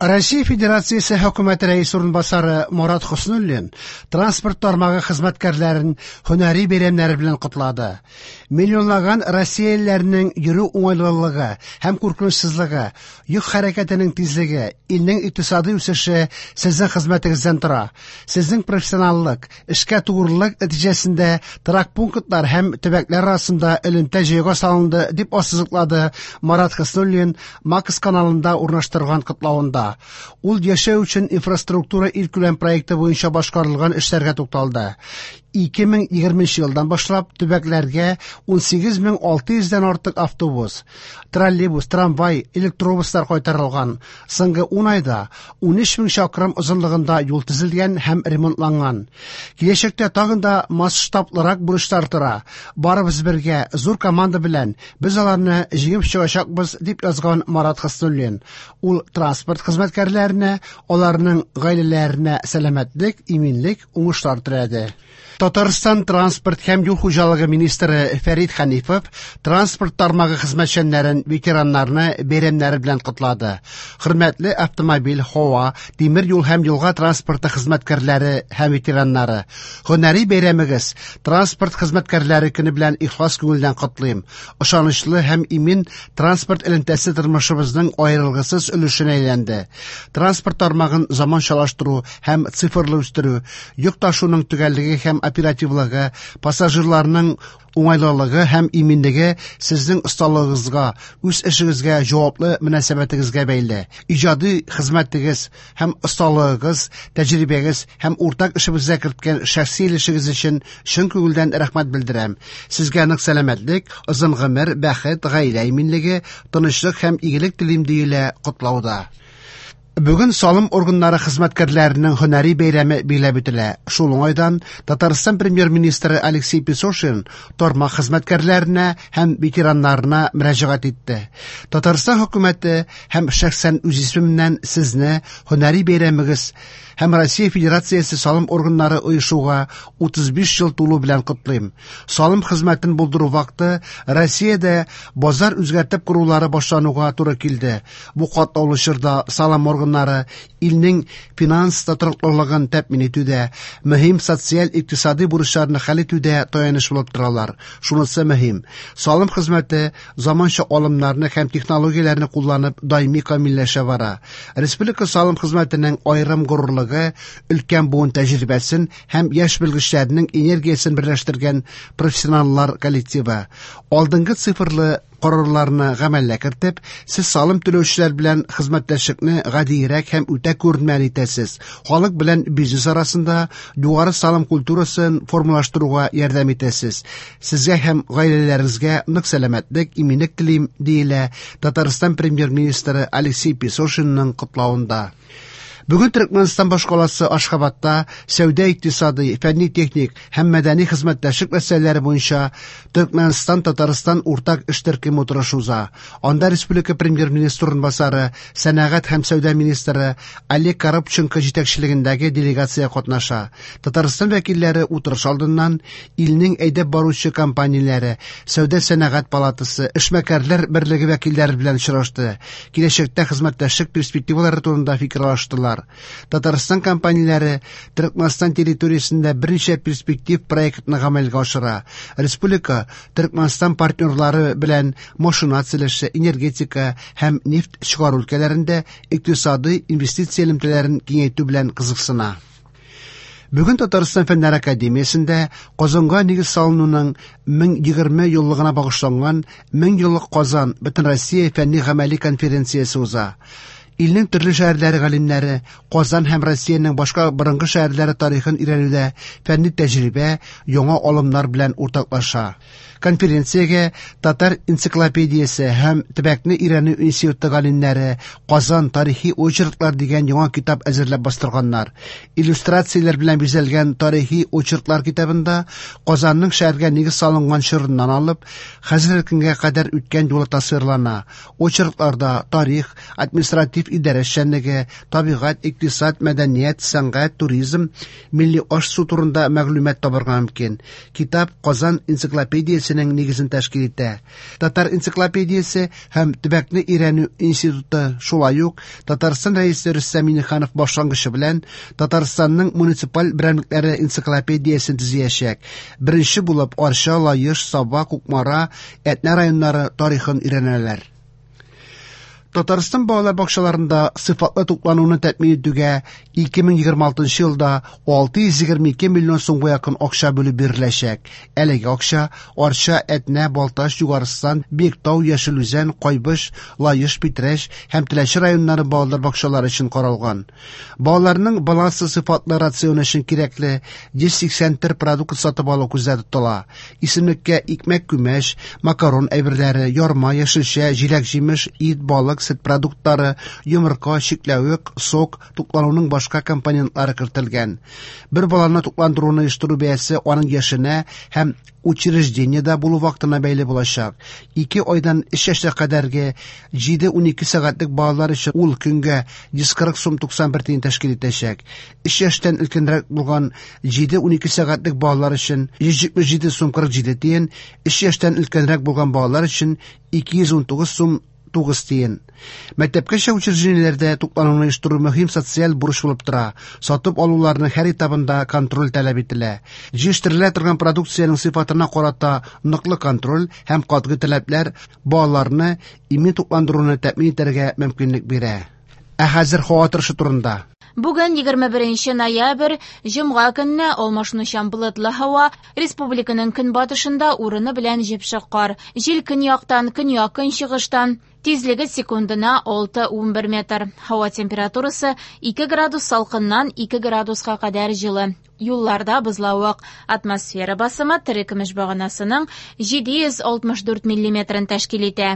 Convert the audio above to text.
Россия Федерациясе Хөкүмәте рәисе урынбасары Марат Хөснуллин транспорт тармагы хезмәткәрләрен һөнәри бәйрәмнәре белән котлады. Миллионлаган россиялеләрнең йөрү уңайлылыгы һәм куркынычсызлыгы, йөк хәрәкәтенең тизлеге, илнең икътисади үсеше сезнең хезмәтегездән тора. Сезнең профессионаллык, эшкә тугрылык нәтиҗәсендә торак пунктлар һәм төбәкләр арасында элемтә җайга салынды, дип ассызыклады Марат Хөснуллин Макс каналында урнаштырган котлавында. Ул яшәү өчен инфраструктура илкүләм проекты буенча башкарылган эшләргә тукталды. 2020 елдан башлап төбәкләргә 18600 дән артык автобус, троллейбус, трамвай, электробуслар кайтарылган. Соңгы 10 айда 13 мең чакрым озынлыгында юл төзелгән һәм ремонтланган. Киләчәктә тагын да масштаблырак бурычлар тора. Барыбыз бергә, зур команда белән без аларны җиңеп чыгачакбыз, дип язган Марат Хөснуллин. Ул транспорт хезмәткәрләренә, аларның гаиләләренә сәламәтлек, иминлек, уңышлар теләде. Татарстан транспорт һәм юл хуҗалыгы министры Фәрит Хәнифов транспорт тармагы хезмәтчәннәрен, ветераннарны бәйрәмнәре белән котлады. Хөрмәтле автомобиль, һава, тимер юл һәм елга транспорты хезмәткәрләре һәм ветераннары, һөнәри бәйрәмегез транспорт хезмәткәрләре көне белән ихлас күңелдән котлыйм. Ышанычлы һәм имин транспорт элемтәсе тормышыбызның аерылгысыз өлешенә әйләнде. Транспорт тармагын заманчалаштыру һәм цифрлы үстерү, йөк ташуның төгәллеге һәм оперативлыгы, пассажирларның уңайлылыгы һәм иминлеге сезнең осталыгыгызга, үз эшегезгә җаваплы мөнәсәбәтегезгә бәйле. Иҗади хезмәтегез һәм осталыгыгыз, тәҗрибәгез һәм уртак эшебезгә керткән шәхси өлешегез өчен чын күңелдән рәхмәт белдерәм. Сезгә нык сәламәтлек, озын гомер, бәхет, гаилә иминлеге, тынычлык һәм игелек телим, диелә котлауда. Бүген салым органнары хезмәткәрләренең һөнәри бәйрәме билгеләп үтелә. Шул уңайдан Татарстан премьер-министры Алексей Песошин тармак хезмәткәрләренә һәм ветераннарына мөрәҗәгать итте. Татарстан хөкүмәте һәм шәхсән үз исемемнән сезне һөнәри бәйрәмегез һәм Россия Федерациясе салым органнары оешуга 35 ел тулу белән котлыйм. Салым хезмәтен булдыру вакыты Россиядә базар үзгәртеп корулары башлануга туры килде. Бу катлаулы чорда салым органнары илнең финанс тотрыклылыгын тәэмин итүдә, мөһим социаль-икътисади бурычларны хәл итүдә таяныч булып торалар. Шунысы мөһим: салым хезмәте заманча алымнарны һәм технологияләрне кулланып даими камилләшә бара. Республика салым хезмәтенең аерым горурлыгы өлкән буын тәҗрибәсен һәм яшь белгечләрнең энергиясен берләштергән профессионаллар коллективы. Алдынгы цифрлы карарларны гамәлгә кертеп, сез салым түләүчеләр белән хезмәттәшлекне гадиерәк һәм үтә күренмәле итәсез. Халык белән бизнес арасында югары салым культурасын формалаштыруга ярдәм итәсез. Сезгә һәм гаиләләрегезгә нык сәламәтлек, иминлек телим, диелә Татарстан премьер-министры Алексей Песошинның котлавында. Бүген Төркмәнстан башкаласы Ашхабадта сәүдә икътисади, фәнни-техник һәм мәдәни хезмәттәшлек мәсьәләләре буенча Төркмәнстан Татарстан уртак эш төркеме утырышы уза. Анда республика премьер-министры урынбасары, сәнәгать һәм сәүдә министры Олег Коробченко җитәкчелегендәге делегация катнаша. Татарстан вәкилләре утырыш алдыннан илнең әйдәп баручы компанияләре, сәүдә сәнәгать палатасы, эшмәкәрләр берлеге вәкилләре белән очрашты. Киләчәктә хезмәттәшлек перспективалары турында фикер алыштылар. Татарстан компанияләре Төркмәнстан территориясендә берничә перспектив проектны гамәлгә ашыра. Республика Төркмәнстан партнерлары белән машина төзелеше, энергетика һәм нефть чыгару өлкәләрендә икътисади инвестиция элемтәләрен киңәйтү белән кызыксына. Бүген Татарстан Фәннәр академиясендә Казанга нигез салынуның 1020 еллыгына багышланган 1000 еллык Казан Бөтенроссия фәнни гамәли конференциясе уза. Илнең төрле шәһәрләре галимнәре Казан һәм Россиянең башка борынгы шәһәрләре тарихын өйрәнүдә фәнни тәҗрибә, яңа алымнар белән уртаклаша. Конференциягә Татар энциклопедиясе һәм төбәкне өйрәнү институты галимнәре Казан тарихи очерклар дигән яңа китап әзерләп бастырганнар. Иллюстрацияләр белән бизәлгән тарихи очерклар китабында Казанның шәһәргә нигез салынган чорыннан алып хәзерге көнгә кадәр үткән юлы тасвирлана. Очеркларда тарих, административ идарә эшчәнлеге, табигать, икътисад, мәдәният, сәнгать, туризм, милли аш-су турында мәгълүмат табарга мөмкин. Китап Казан энциклопедиясе энциклопедиясенең нигезен тәшкил итә. Татар энциклопедиясе һәм төбәкне өйрәнү институты шулай ук Татарстан Рәисе Рөстәм Миңнеханов башлангычы белән Татарстанның муниципаль берәмлекләре энциклопедиясен төзиячәк. Беренче булып Арча, Лаеш, Саба, Кукмара, Әтнә районнары тарихын өйрәнәләр. Татарстан балалар бакчаларында сыйфатлы туклануны тәэмин итүгә 2026 елда 622 миллион сумга якын акча бүлеп биреләчәк. Әлеге акча Арча, Әтнә, Балтач, Югарыстан, Биектау, Яшел Үзән, Кайбыч, Лаеш, Питрәч һәм Теләче районнары балалар бакчалары өчен каралган. Балаларның баланслы сыйфатлы рационы өчен кирәкле 180 төр продукт сатып алу күздә тотыла. Исемлеккә икмәк-күмәч, макарон әйберләре, ярма, яшелчә, җиләк-җимеш, ит, балык, сөт продуктлары, йомырка, чикләвек, сок, туклануның башка компонентлары кертелгән. Бер баланы тукландыруны оештыру бәясе аның яшенә һәм учреждениедә булу вакытына бәйле булачак. 2 айдан 3 яшькә кадәрге 7-12 сәгатьлек балалар өчен ул көнгә 140 сум 91 тиен тәшкил итәчәк. 3 яшьтән өлкәнрәк булган 7-12 сәгатьлек балалар өчен 177 сум 47 тиен, 3 яшьтән өлкәнрәк булган балалар өчен 219 сум 9 тиен. Мәктәпкәчә учреждениеләрдә туклануны оештыру мөһим социаль бурыч булып тора. Сатып алуларның һәр этабында контроль таләп ителә. Җитештерелә торган продукциянең сыйфатына карата ныклы контроль һәм катгый таләпләр балаларны имин тукландыруны тәэмин итәргә мөмкинлек бирә. Ә хәзер һава торышы турында. Бүген 21 ноябрь, җомга көнне алмашынучан болытлы һава, республиканың көнбатышында урыны белән җепшек кар. Җил көньяктан, көньяк-көнчыгыштан, тизлеге секундына 6-11 метр. Һава температурасы 2 градус салкыннан 2 градуска кадәр җылы. Юлларда бозлавык. Атмосфера басымы терекөмеш баганасының 764 миллиметрын тәшкил итә.